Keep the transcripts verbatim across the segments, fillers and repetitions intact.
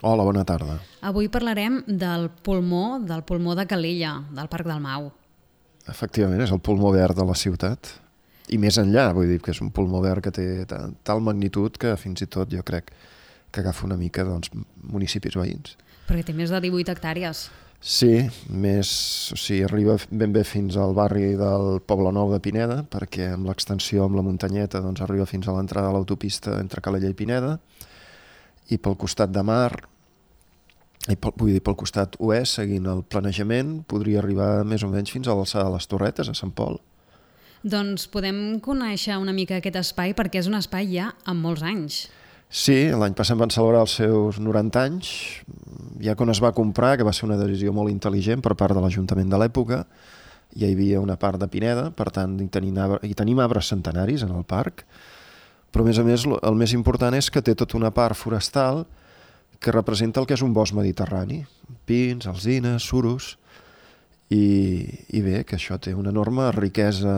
Hola, bona tarda. Avui parlarem del pulmó, del pulmó de Calella, del Parc del Mau. Efectivament, és el pulmó verd de la ciutat. I més enllà, vull dir que és un pulmó verd que té tal magnitud que fins i tot jo crec que agafa una mica doncs, municipis veïns. Perquè té més de divuit hectàrees. Sí, més, o sigui, arriba ben bé fins al barri del Poblenou de Pineda, perquè amb l'extensió amb la muntanyeta doncs, arriba fins a l'entrada de l'autopista entre Calella i Pineda, i pel costat de mar, i pel, vull dir, pel costat oest, seguint el planejament, podria arribar més o menys fins a l'alçada de les Torretes, a Sant Pol. Doncs podem conèixer una mica aquest espai, perquè és un espai ja amb molts anys. Sí, l'any passat van celebrar els seus noranta anys, ja quan es va comprar, que va ser una decisió molt intel·ligent per part de l'Ajuntament de l'època, ja hi havia una part de Pineda, per tant hi tenim, hi tenim arbres centenaris en el parc, però a més a més el més important és que té tota una part forestal que representa el que és un bosc mediterrani, pins, alzines, suros, i, i bé, que això té una enorme riquesa,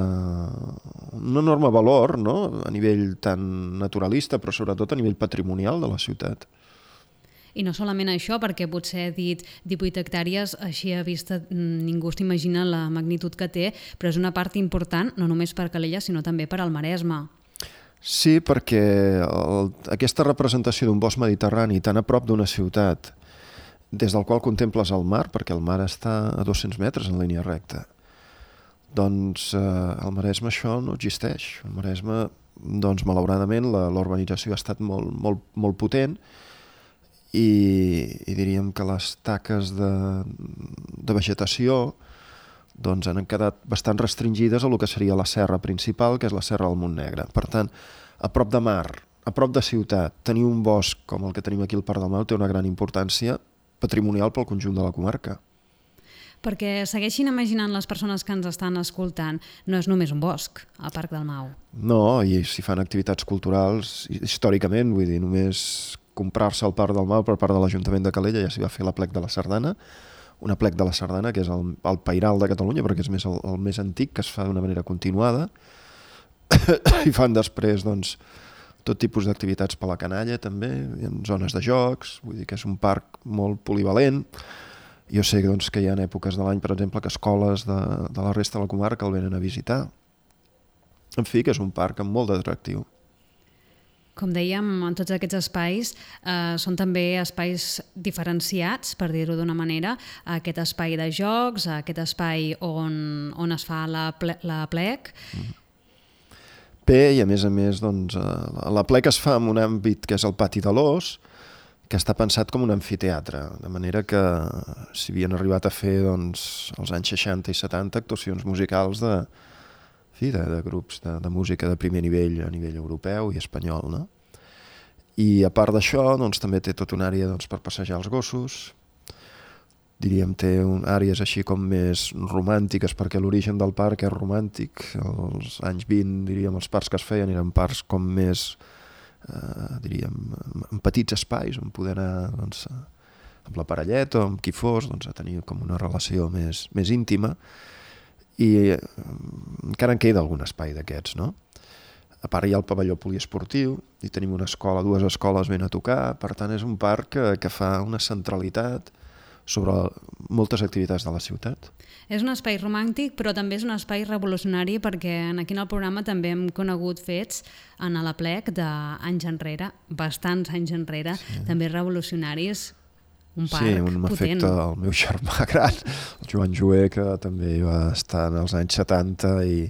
un enorme valor, no? A nivell tan naturalista, però sobretot a nivell patrimonial de la ciutat. I no solament això, perquè potser he dit divuit hectàrees, així a vista ningú s'imagina la magnitud que té, però és una part important no només per Calella, sinó també per al Maresme. Sí, perquè el, aquesta representació d'un bosc mediterrani tan a prop d'una ciutat, des del qual contemples el mar, perquè el mar està a dos-cents metres en línia recta, doncs eh, al Maresme això no existeix. Al Maresme, doncs malauradament, la, la urbanització ha estat molt, molt, molt potent i, i diríem que les taques de, de vegetació doncs han quedat bastant restringides a lo que seria la serra principal, que és la serra del Montnegre. Per tant, a prop de mar, a prop de ciutat, tenir un bosc com el que tenim aquí al Parc del Mau té una gran importància patrimonial pel conjunt de la comarca. Perquè segueixin imaginant les persones que ens estan escoltant, no és només un bosc, el Parc del Mau. No, i si fan activitats culturals, històricament, vull dir, només comprar-se el Parc del Mau per part de l'Ajuntament de Calella ja s'hi va fer la plec de la Sardana, una plec de la Sardana que és el, el pairal de Catalunya, perquè és més el, el més antic, que es fa d'una manera continuada, i fan després, doncs, tot tipus d'activitats per la canalla també, hi ha zones de jocs, vull dir que és un parc molt polivalent. Jo sé doncs, que hi ha èpoques de l'any, per exemple, que escoles de, de la resta de la comarca el venen a visitar. En fi, que és un parc amb molt d'atractiu. Com dèiem, en tots aquests espais eh, són també espais diferenciats, per dir-ho d'una manera, aquest espai de jocs, aquest espai on, on es fa la, ple, la plec. Mm. Bé, i a més a més, doncs, la plec es fa en un àmbit que és el pati de l'Os, que està pensat com un amfiteatre, de manera que s'hi havien arribat a fer doncs, als anys seixanta i setanta actuacions musicals de, fi, de, de grups de, de música de primer nivell a nivell europeu i espanyol, no? I a part d'això, doncs, també té tota una àrea doncs, per passejar els gossos, diríem, té un, àrees així com més romàntiques, perquè l'origen del parc és romàntic. Als anys vint, diríem, els parcs que es feien eren parcs com més, eh, diríem, en petits espais, on poder anar doncs, amb la parelleta o amb qui fos, doncs, a tenir com una relació més, més íntima. I eh, encara en queda algun espai d'aquests, no? A part hi ha el pavelló poliesportiu, i tenim una escola, dues escoles ben a tocar, per tant és un parc que, que fa una centralitat sobre moltes activitats de la ciutat. És un espai romàntic, però també és un espai revolucionari, perquè aquí en el programa també hem conegut fets en la plec d'anys enrere, bastants anys enrere, sí. També revolucionaris, un parc sí, un potent. M'afecta el meu germà gran, el Joan Joé, que també va estar en els anys setanta i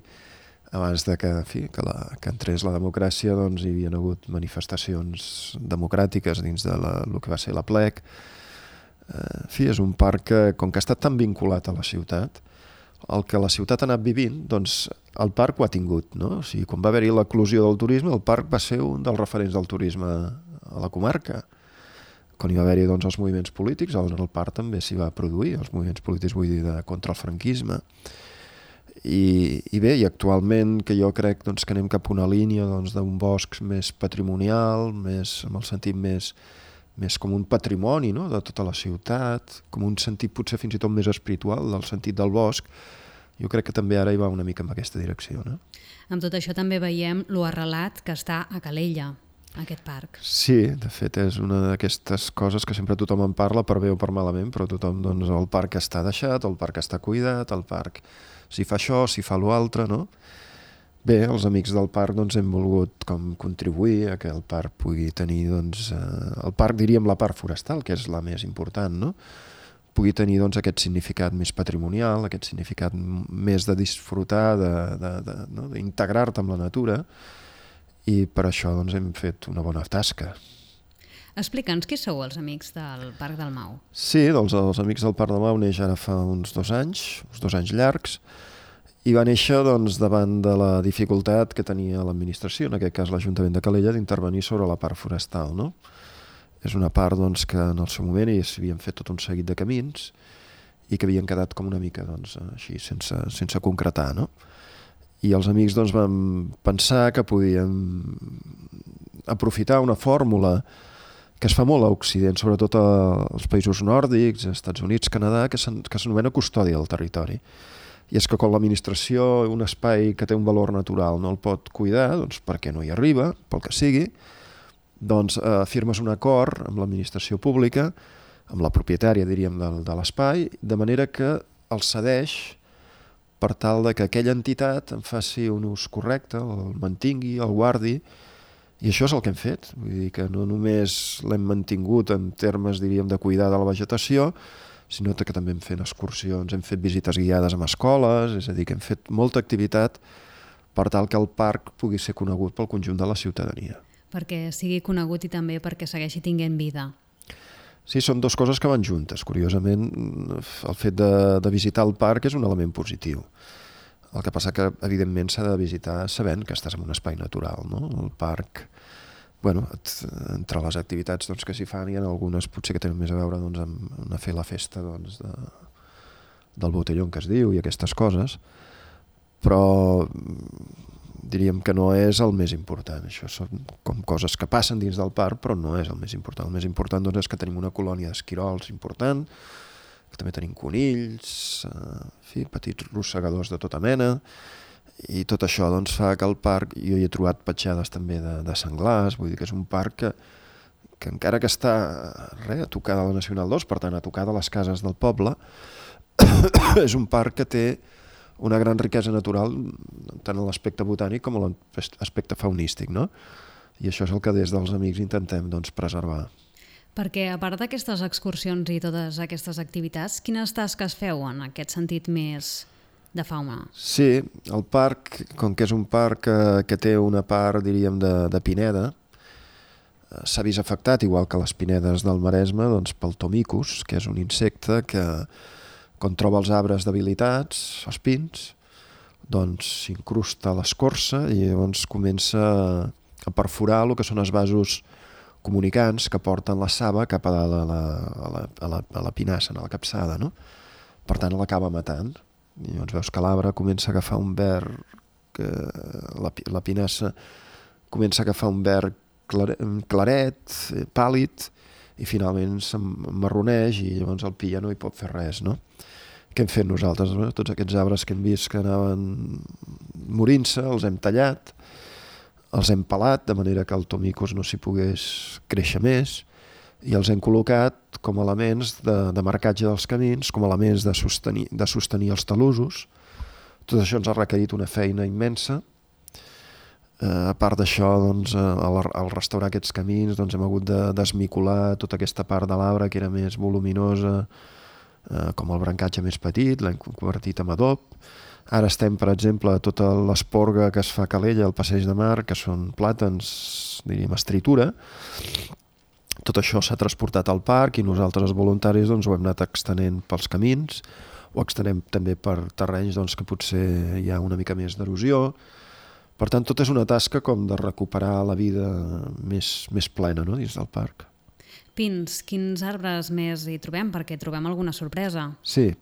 abans de que, en fi, que, la, que entrés la democràcia, doncs hi havia hagut manifestacions democràtiques dins de la, el que va ser la plec. En fi, és un parc que, com que ha estat tan vinculat a la ciutat, el que la ciutat ha anat vivint, doncs el parc ho ha tingut, no? O sigui, quan va haver-hi l'eclosió del turisme, el parc va ser un dels referents del turisme a la comarca. Quan hi va haver-hi doncs, els moviments polítics, doncs el parc també s'hi va produir, els moviments polítics, vull dir, de, contra el franquisme. I, i bé, i actualment que jo crec doncs, que anem cap a una línia doncs, d'un bosc més patrimonial, més, amb el sentit més més com un patrimoni, no?, de tota la ciutat, com un sentit potser fins i tot més espiritual del sentit del bosc. Jo crec que també ara hi va una mica en aquesta direcció, no? Amb tot això també veiem lo arrelat que està a Calella. aquest parc. Sí, de fet és una d'aquestes coses que sempre tothom en parla per bé o per malament, però tothom, doncs, el parc està deixat, el parc està cuidat, el parc s'hi fa això, s'hi fa l'altre, no? Bé, els amics del parc doncs, hem volgut com contribuir a que el parc pugui tenir, doncs, eh, el parc, diríem, la part forestal, que és la més important, no? Pugui tenir doncs, aquest significat més patrimonial, aquest significat més de disfrutar, de, de, de, no? d'integrar-te amb la natura, i per això doncs, hem fet una bona tasca. Explica'ns qui sou els amics del Parc del Mau. Sí, doncs, els amics del Parc del Mau neix ara fa uns dos anys, uns dos anys llargs, i va néixer doncs, davant de la dificultat que tenia l'administració, en aquest cas l'Ajuntament de Calella, d'intervenir sobre la part forestal, no? És una part doncs, que en el seu moment s'havien fet tot un seguit de camins i que havien quedat com una mica doncs, així, sense, sense concretar, no? I els amics doncs, vam pensar que podíem aprofitar una fórmula que es fa molt a Occident, sobretot als països nòrdics, als Estats Units, Canadà, que s'anomena custòdia del territori. I és que quan l'administració, un espai que té un valor natural, no el pot cuidar, doncs perquè no hi arriba, pel que sigui, doncs eh, firmes un acord amb l'administració pública, amb la propietària, diríem, de, de l'espai, de manera que el cedeix per tal de que aquella entitat en faci un ús correcte, el mantingui, el guardi, i això és el que hem fet. Vull dir que no només l'hem mantingut en termes, diríem, de cuidar de la vegetació, sinó que també hem fet excursions, hem fet visites guiades amb escoles, és a dir, que hem fet molta activitat per tal que el parc pugui ser conegut pel conjunt de la ciutadania. Perquè sigui conegut i també perquè segueixi tinguent vida. Sí, són dues coses que van juntes. Curiosament, el fet de, de visitar el parc és un element positiu. El que passa que, evidentment, s'ha de visitar sabent que estàs en un espai natural, no? El parc, bueno, entre les activitats doncs, que s'hi fan, hi ha algunes potser que tenen més a veure doncs, amb fer la festa doncs, de, del botellón que es diu i aquestes coses, però diríem que no és el més important. Això són com coses que passen dins del parc, però no és el més important. El més important doncs, és que tenim una colònia d'esquirols important, que també tenim conills, eh, en fi, petits rossegadors de tota mena, i tot això doncs, fa que el parc, jo hi he trobat petjades també de, de senglars, vull dir que és un parc que, que encara que està re, a tocar de la Nacional dos, per tant a tocar de les cases del poble, és un parc que té una gran riquesa natural tant en l'aspecte botànic com en l'aspecte faunístic, no? I això és el que des dels amics intentem doncs, preservar. Perquè a part d'aquestes excursions i totes aquestes activitats, quines tasques feu en aquest sentit més de fauna? Sí, el parc, com que és un parc que, que té una part, diríem, de, de pineda, s'ha vist afectat, igual que les pinedes del Maresme, doncs, pel tomicus, que és un insecte que quan troba els arbres debilitats, els pins, doncs s'incrusta a l'escorça i llavors comença a perforar el que són els vasos comunicants que porten la saba cap a la, a la, a la, a la, a la pinassa, a la capçada, no? Per tant, l'acaba matant. I llavors veus que l'arbre comença a agafar un verd, que la, la pinassa comença a agafar un verd claret, pàl·lid, i finalment s'emmarroneix i llavors el pi ja no hi pot fer res, no? Què hem fet nosaltres? No? Tots aquests arbres que hem vist que anaven morint-se, els hem tallat, els hem pelat, de manera que el tomicus no s'hi pogués créixer més, i els hem col·locat com elements de, de marcatge dels camins, com elements de sostenir, de sostenir els talussos. Tot això ens ha requerit una feina immensa. Uh, a part d'això, doncs, al, al restaurar aquests camins doncs, hem hagut de desmicolar tota aquesta part de l'arbre que era més voluminosa, uh, com el brancatge més petit, l'hem convertit en adob. Ara estem, per exemple, a tota l'esporga que es fa a Calella, al Passeig de Mar, que són plàtans, diríem, estritura. Tot això s'ha transportat al parc i nosaltres, els voluntaris, doncs, ho hem anat extenent pels camins, ho extenem també per terrenys doncs, que potser hi ha una mica més d'erosió. Per tant, tot és una tasca com de recuperar la vida més, més plena, no?, dins del parc. Pins, quins arbres més hi trobem? Perquè trobem alguna sorpresa. Sí,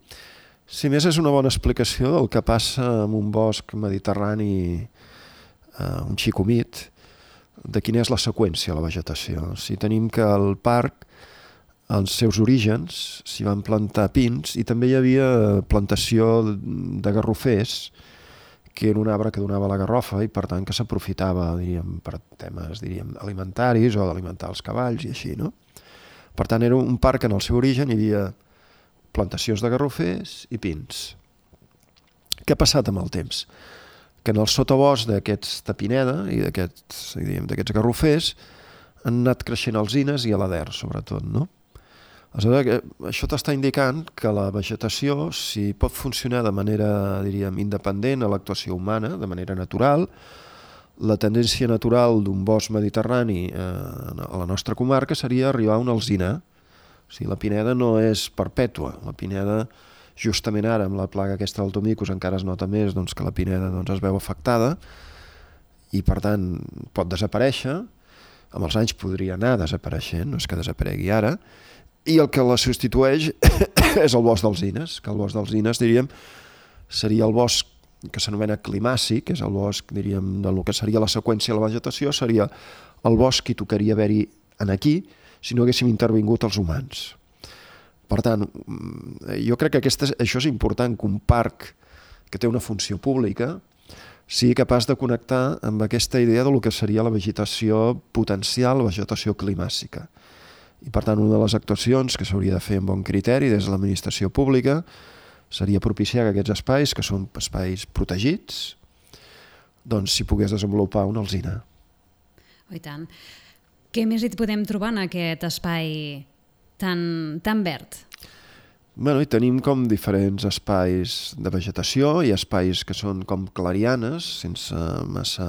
si més és una bona explicació del que passa en un bosc mediterrani, eh, un xic humit, de quina és la seqüència de la vegetació. Si tenim que al parc, als seus orígens, s'hi van plantar pins i també hi havia plantació de garrofers, que era un arbre que donava la garrofa i per tant que s'aprofitava, diríem, per temes, diríem, alimentaris o d'alimentar els cavalls i així, no? Per tant, era un parc que en el seu origen hi havia plantacions de garrofers i pins. Què ha passat amb el temps? Que en el sotabosc d'aquesta pineda i d'aquests, diríem, d'aquests garrofers han anat creixent alzines i alader, sobretot, no? Aleshores, això t'està indicant que la vegetació, si pot funcionar de manera, diríem, independent a l'actuació humana, de manera natural, la tendència natural d'un bosc mediterrani eh, a la nostra comarca seria arribar a una alzina. O sigui, la pineda no és perpètua. La pineda, justament ara, amb la plaga aquesta del tomicus, encara es nota més doncs, que la pineda doncs, es veu afectada i, per tant, pot desaparèixer. Amb els anys podria anar desapareixent, no és que desaparegui ara, i el que la substitueix és el bosc d'alzines, que el bosc d'alzines, diríem, seria el bosc que s'anomena climàcic, que és el bosc, diríem, del que seria la seqüència de la vegetació, seria el bosc que tocaria haver-hi en aquí si no haguéssim intervingut els humans. Per tant, jo crec que aquesta, això és important, que un parc que té una funció pública sigui capaç de connectar amb aquesta idea del que seria la vegetació potencial, la vegetació climàcica. I, per tant, una de les actuacions que s'hauria de fer amb bon criteri des de l'administració pública seria propiciar que aquests espais, que són espais protegits, doncs s'hi pogués desenvolupar una alzina. Oh, i tant. Què més hi podem trobar en aquest espai tan, tan verd? Bueno, i tenim com diferents espais de vegetació i espais que són com clarianes, sense massa...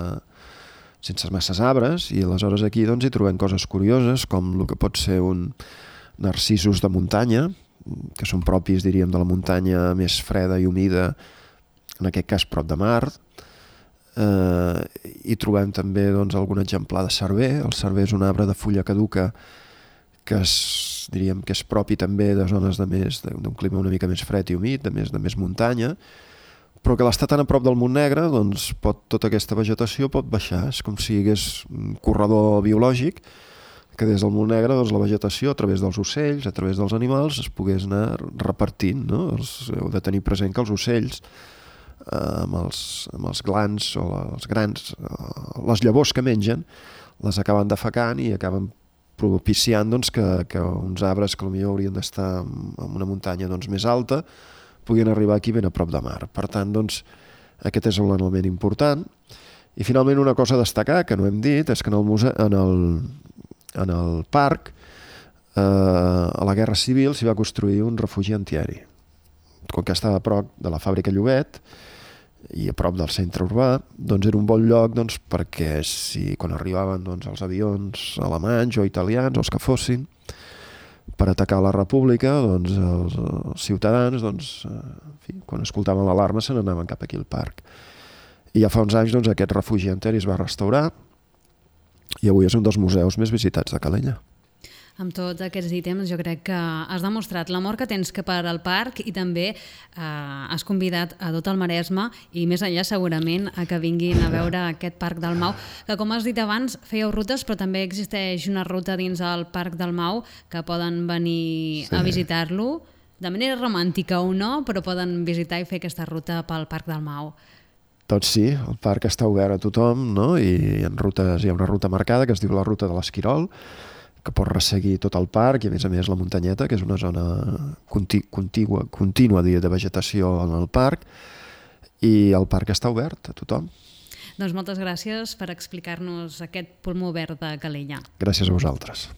sense masses arbres, i aleshores aquí doncs, hi trobem coses curioses, com el que pot ser un narcisos de muntanya, que són propis, diríem, de la muntanya més freda i humida, en aquest cas prop de mar. Eh, hi trobem també doncs, algun exemplar de cerver. El cerver és un arbre de fulla caduca que és, diríem, que és propi també de zones de més d'un clima una mica més fred i humit, de més, de més muntanya, però que l'estar tan a prop del Montnegre, doncs pot, tota aquesta vegetació pot baixar. És com si hi hagués un corredor biològic que des del Montnegre doncs, la vegetació, a través dels ocells, a través dels animals, es pogués anar repartint. No? Els, heu de tenir present que els ocells, eh, amb, els, amb els glans o els grans, eh, les llavors que mengen, les acaben defecant i acaben propiciant doncs, que, que uns arbres que potser haurien d'estar en una muntanya doncs, més alta puguin arribar aquí ben a prop de mar. Per tant, doncs, aquest és un element important. I finalment una cosa a destacar, que no hem dit, és que en el, museu, en el, en el parc, eh, a la Guerra Civil s'hi va construir un refugi antiaeri. Com que estava a prop de la fàbrica Llobet i a prop del centre urbà, doncs era un bon lloc doncs, perquè si, quan arribaven doncs, els avions alemanys o italians, o els que fossin, per atacar la república, doncs, els, els ciutadans, doncs, en fi, quan escoltaven l'alarma se n'anaven cap aquí al parc. I ja fa uns anys doncs, aquest refugi antiaeri es va restaurar i avui és un dels museus més visitats de Calella. Amb tots aquests ítems jo crec que has demostrat l'amor que tens cap al parc i també eh, has convidat a tot el Maresme i més enllà segurament a que vinguin a veure aquest Parc del Mau, que com has dit abans fèieu rutes però també existeix una ruta dins el Parc del Mau que poden venir sí. a visitar-lo de manera romàntica o no, però poden visitar i fer aquesta ruta pel Parc del Mau. Doncs sí, el parc està obert a tothom, no? I hi ha, rutes, hi ha una ruta marcada que es diu la ruta de l'Esquirol, que pot resseguir tot el parc i a més a més la muntanyeta, que és una zona conti contigua, contínua de vegetació en el parc, i el parc està obert a tothom. Doncs moltes gràcies per explicar-nos aquest pulmó verd de Calella. Gràcies a vosaltres.